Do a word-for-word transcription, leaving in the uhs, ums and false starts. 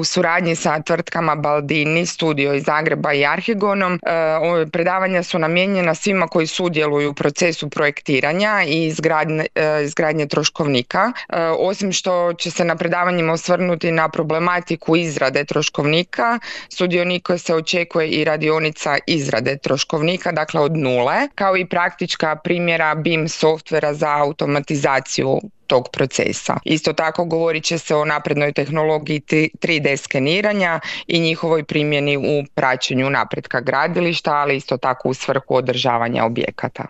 U suradnji sa tvrtkama Baldini, Studio iz Zagreba i Arhigonom, predavanja su namijenjena svima koji sudjeluju u procesu projektiranja i izgradnje, izgradnje troškovnika. Osim što će se na predavanjima osvrnuti na problematiku izrade troškovnika, sudionika se očekuje i radionica izrade troškovnika, dakle od nule, kao i praktička primjera B I M softvera za automatizaciju tog procesa. Isto tako govorit će se o naprednoj tehnologiji tri D skeniranja i njihovoj primjeni u praćenju napretka gradilišta, ali isto tako u svrhu održavanja objekata.